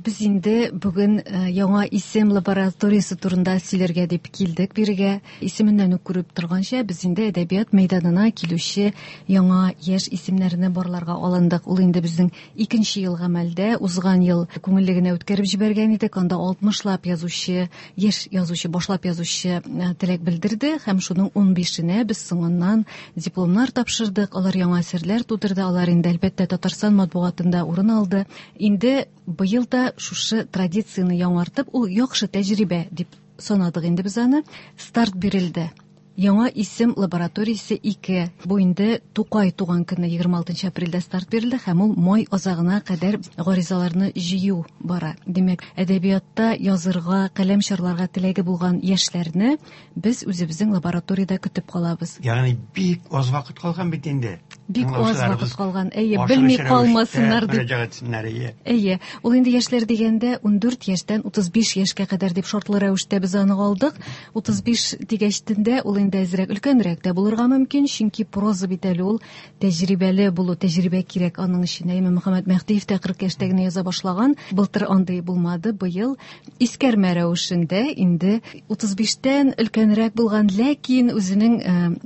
Без инде бүген яңа исем лабораториясе турында сөйләргә дип килдек бирегә. Исеменнән үк күреп торганча, без инде әдәбият мәйданына килүче яңа яшь исемнәрне барларга алындык. Ул инде безнең икенче ел гамәлдә, узган ел күңелле генә үткәреп җибәргән идек. Анда 60лап язучы, яшь язучы, башлап язучы теләк белдерде һәм шуның 15-енә без соңыннан дипломнар тапшырдык. Алар яңа әсәрләр тудырды. Алар инде әлбәттә Татарстан матбугатында урын алды. Инде быел да шушы традицияне яңартып, ул яхшы тәҗрибә дип санадык инде без аны. Старт бирелде. Яңа исем лабораториясе 2. Бу инде Тукай туган көне 26 апрельдә старт бирелде һәм ул май азагына кадәр гаризаларны җыю бара. Димәк, әдәбиятта язырга, каләм чарларга теләге булган яшьләрне без үзебезнең лабораториядә көтеп калабыз. Ягъни бик аз вакыт калган бит инде. Бик аз вакыт калган. Әйе, белми калмасыннар дип. Мөрәҗәгать итсеннәр, әйе. Әйе, ул инде яшьләр дигәндә 14 яшьтән 35 яшькә кадәр дип шартлы рәвештә без аны алдык. 35 дигәчтен дә ул инде әзрәк өлкәнрәк тә булырга мөмкин, чөнки проза бит әле ул тәҗрибәле булу, тәҗрибә кирәк аның өчен. Әйе, Мөхәммәт Мәһдиев тә 40 яшьтә генә яза башлаган. Былтыр андый булмады, быел искәрмә рәвешендә инде 35-тән өлкәнрәк булган, ләкин үзенең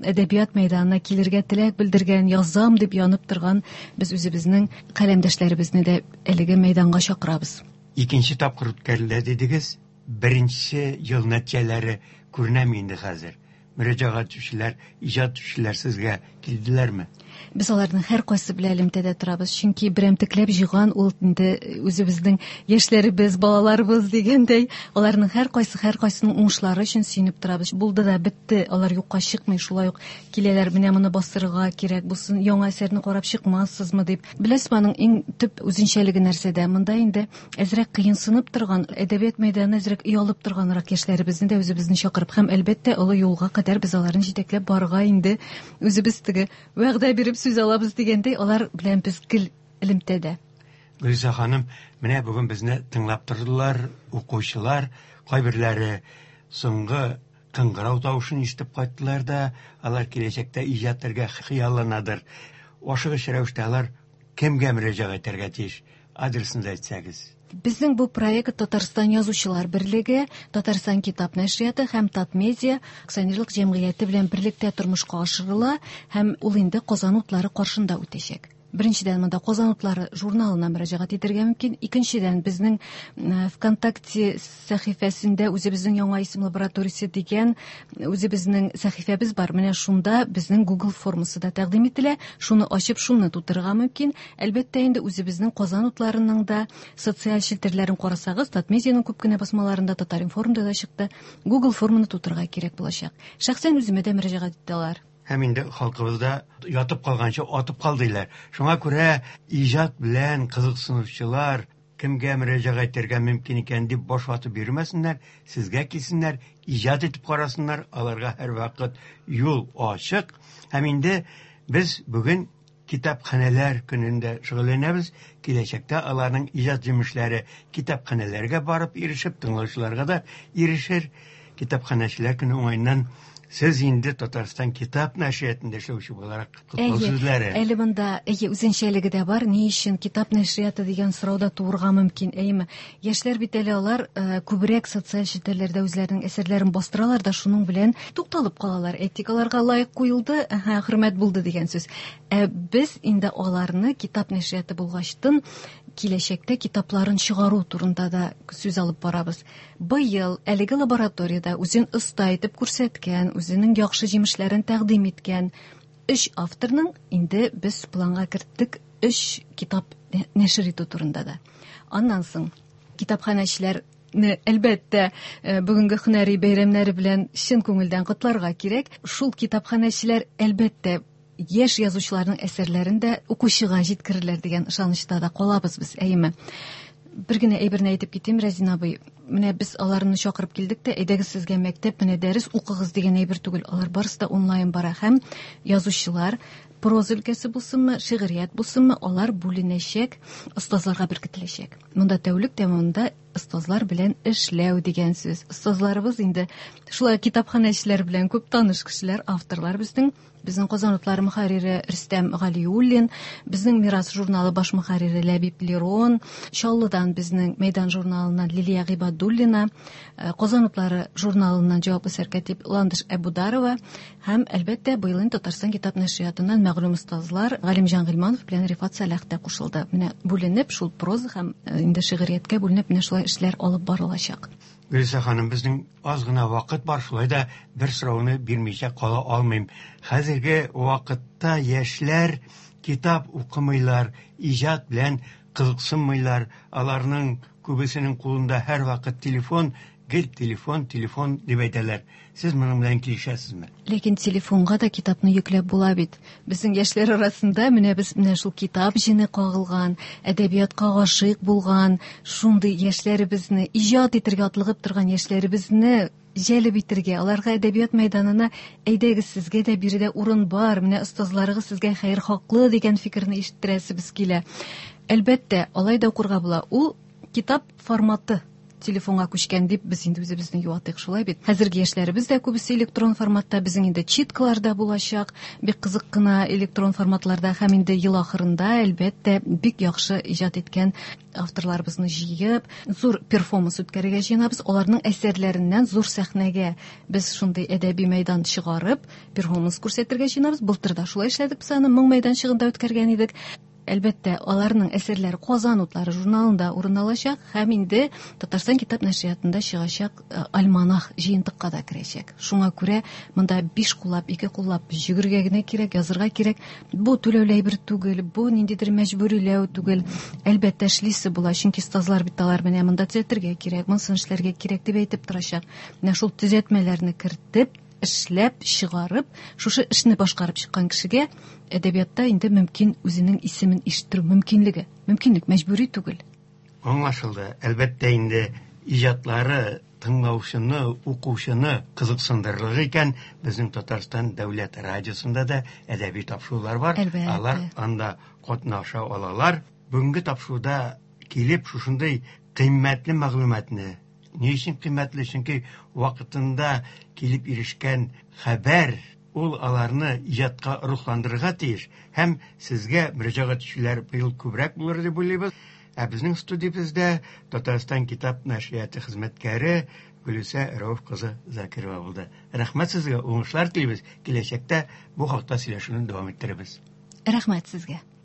әдәбият мәйданына килергә теләк белдергән, язам дип янып торган без үзебезнең каләмдәшләребезне дә әлеге мәйданга чакырабыз. Икенче тапкыр үткәрелә дидегез. Беренче ел нәтиҗәләре күренәме инде хәзер? Мөрәҗәгать итүчеләр, иҗат итүчеләр сезгә килделәрме? Без аларның һәркайсы белән элемтәдә торабыз, чөнки берәмтекләп җыйган ул инде үзебезнең яшьләребез, балаларыбыз дигәндәй, аларның һәркайсы һәркайсының уңышлары өчен сөенеп торабыз. Булды да бетте, алар юкка чыкмый, шулай ук киләләр, менә моны бастырырга кирәк, булсын яңа әсәрне карап чыкмассызмы дип. Беләсезме, аның иң төп үзенчәлеге нәрсәдә? Монда инде әзрәк кыенсынып торган, әдәбият мәйданына әзрәк оялып торганрак яшьләребезне дә үзебезне чакырып һәм әлбәттә олы юлга кадәр без аларны җитәкләп барырга инде үзебез теге вәгъдә биреп сүз алабыз дигәндәй, алар белән без гел элемтәдә. Гөлүсә ханым, менә бүген безне тыңлап тордылар, укучылар, кайберләре соңгы кыңгырау тавышын ишетеп кайттылар да, алар киләчәктә иҗат итәргә хыялланадыр. Ашыгыч рәвештә алар кемгә мөрәҗәгать итәргә тиеш? Адресын да әйтсәгез. Безнең бу проект Татарстан Язучылар берлеге, Татарстан китап нәшрияты һәм Татмедиа акционерлык җәмгыяте белән берлектә тормышка ашырыла һәм ул инде Казан утлары каршында үтәчәк. Беренчедән, монда Казан утлары журналына мөрәҗәгать итәргә мөмкин. Икенчедән, безнең ВКонтакте сәхифәсендә үзебезнең яңа исем лабораториясе дигән үзебезнең сәхифәбез бар. Менә шунда безнең Google формасы да тәкъдим ителә. Шуны ачып, шуны тутырырга мөмкин. Әлбәттә, инде үзебезнең Казан утларының да социаль челтәрләрен карасагыз, Татмедианың күп кенә басмаларында, Татар-информда да чыкты. Google форманы тутырырга кирәк булачак. Шәхсән үземә дә мөрәҗәгать итә алар. Һәм инде халкыбызда ятып калганчы атып кал диләр. Шуңа күрә иҗат белән кызыксынучылар кемгә мөрәҗәгать итәргә мөмкин икән дип баш ватып йөрмәсеннәр, сезгә килсеннәр, иҗат итеп карасыннар, аларга һәрвакыт юл ачык. Һәм инде без бүген китапханәләр көнендә шөгыльләнәбез. Киләчәктә аларның иҗат җимешләре китапханәләргә барып ирешеп, тыңлаучыларга да ирешер. Китапханәчеләр көне уңаеннан Сез инде Татарстан китап нәшриятында эшләүче буларак котлау сүзләре. Әле монда әйе үзенчәлеге дә бар. Ни өчен китап нәшрияты дигән сорау да туырга мөмкин, әйеме? Яшьләр бит әле алар э, күбрәк социаль челтәрләрдә үзләренең әсәрләрен бастыралар да шуның белән тукталып калалар. Әйтик, аларга лайк куелды, әһә, хөрмәт булды дигән сүз. Ә без инде аларны китап нәшрияты булгачтын киләчәктә китапларын чыгару турында да сүз алып барабыз. Быел әлеге лабораториядә үзен оста итеп күрсәткән, үзенең яхшы җимешләрен тәкъдим иткән өч авторның инде без планга керттек өч китап нәшер итү турында да. Аннан соң китапханәчеләр әлбәттә, э, бүгенге һөнәри бәйрәмнәре белән чын күңелдән котларга кирәк. Шул китапханәчеләр, әлбәттә, яшь язучыларның әсәрләрен дә укучыга җиткерерләр дигән ышанычта да калабыз без, әйеме? Бер генә әйберне әйтеп китим, Рәзин абый. Менә без аларны чакырып килдек тә, әйдәгез сезгә мәктәп, менә дәрес укыгыз дигән әйбер түгел. Алар барысы да онлайн бара һәм язучылар проза өлкәсе булсынмы, шигърият булсынмы, алар бүленәчәк, остазларга беркетеләчәк. Монда тәүлек дәвамында остазлар белән эшләү дигән сүз. Остазларыбыз инде шулай китапханәчеләр белән күп таныш кешеләр, авторлар безнең. Безнең Казан утлары мөхәррире Рөстәм Галиуллин, безнең Мирас журналы баш мөхәррире Ләбиб Лерон, Чаллыдан безнең Мәйдан журналыннан Лилия Гыйбадуллина, э, Казан утлары журналыннан җаваплы сәркәтип Ландыш Әбударова һәм, әлбәттә, быел инде Татарстан китап нәшриятыннан мәгълүм остазлар Галимҗан Гыйльманов белән Рифат Сәлах та кушылды. Менә бүленеп, шул проза һәм э, инде шигърияткә бүленеп, менә шулай эшләр алып барылачак. Гөлүсә ханым, безнең аз гына вакыт бар, шулай да бер сорауны бирмичә кала алмыйм. Хәзерге вакытта яшьләр китап укымыйлар, иҗат белән кызыксынмыйлар. Аларның күбесенең кулында һәрвакыт телефон, гел телефон, телефон дип әйтәләр. Сез моның белән килешәсезме? Ләкин телефонга да китапны йөкләп була бит. Безнең яшьләр арасында менә без менә шул китап җене кагылган, әдәбиятка гашыйк булган, шундый яшьләребезне, иҗат итәргә атлыгып торган яшьләребезне җәлеп итәргә, аларга әдәбият мәйданына әйдәгез, сезгә дә биредә урын бар, менә остазларыгыз сезгә хәерхаклы дигән фикерне ишеттерәсебез килә. Әлбәттә, алай да укырга була. Ул китап форматы телефонга күчкән дип без инде үзебезне юатыйк, шулай бит. Хәзерге яшьләребез дә күбесе электрон форматта, безнең инде читкалар да булачак, бик кызык кына электрон форматларда һәм инде ел ахырында, әлбәттә, бик яхшы иҗат иткән авторларыбызны җыеп, зур перформанс үткәрергә җыенабыз. Аларның әсәрләреннән зур сәхнәгә без шундый әдәби мәйдан чыгарып, перформанс күрсәтергә җыенабыз. Былтыр да шулай эшләдек без аны, моң мәйданчыгында үткәргән идек. Әлбәттә, аларның әсәрләре Казан утлары журналында урын алачак һәм инде Татарстан китап нәшриятында чыгачак э, альманах җыентыкка да керәчәк. Шуңа күрә монда биш куллап, ике куллап йөгергә генә кирәк, язырга кирәк. Бу түләүле әйбер түгел, бу ниндидер мәҗбүриләү түгел. Әлбәттә, эшлисе була, чөнки остазлар бит алар менә монда төзәтергә кирәк, монысын эшләргә кирәк дип әйтеп торачак. Менә шул төзәтмәләрне кертеп, эшләп, чыгарып, шушы эшне башкарып чыккан кешегә әдәбиятта инде мөмкин үзенең исемен ишеттерү мөмкинлеге. Мөмкинлек мәҗбүри түгел. Аңлашылды. Әлбәттә инде иҗатлары тыңлаучыны, укучыны кызыксындырырлык икән, безнең Татарстан дәүләт радиосында да әдәби тапшырулар бар. Әлбәттә. Алар анда катнаша алалар. Бүгенге тапшыруда килеп шушындый кыйммәтле мәгълүматны Ни өчен кыйммәтле? Чөнки вакытында килеп ирешкән хәбәр ул аларны иҗатка рухландырырга тиеш һәм сезгә мөрәҗәгать итүчеләр быел күбрәк булыр дип уйлыйбыз. Ә безнең студиябездә Татарстан китап нәшрияты хезмәткәре Гөлүсә Рәүф кызы Закирова булды. Рәхмәт сезгә, уңышлар телибез. Киләчәктә бу хакта сөйләшүне дәвам иттерербез. Рәхмәт сезгә.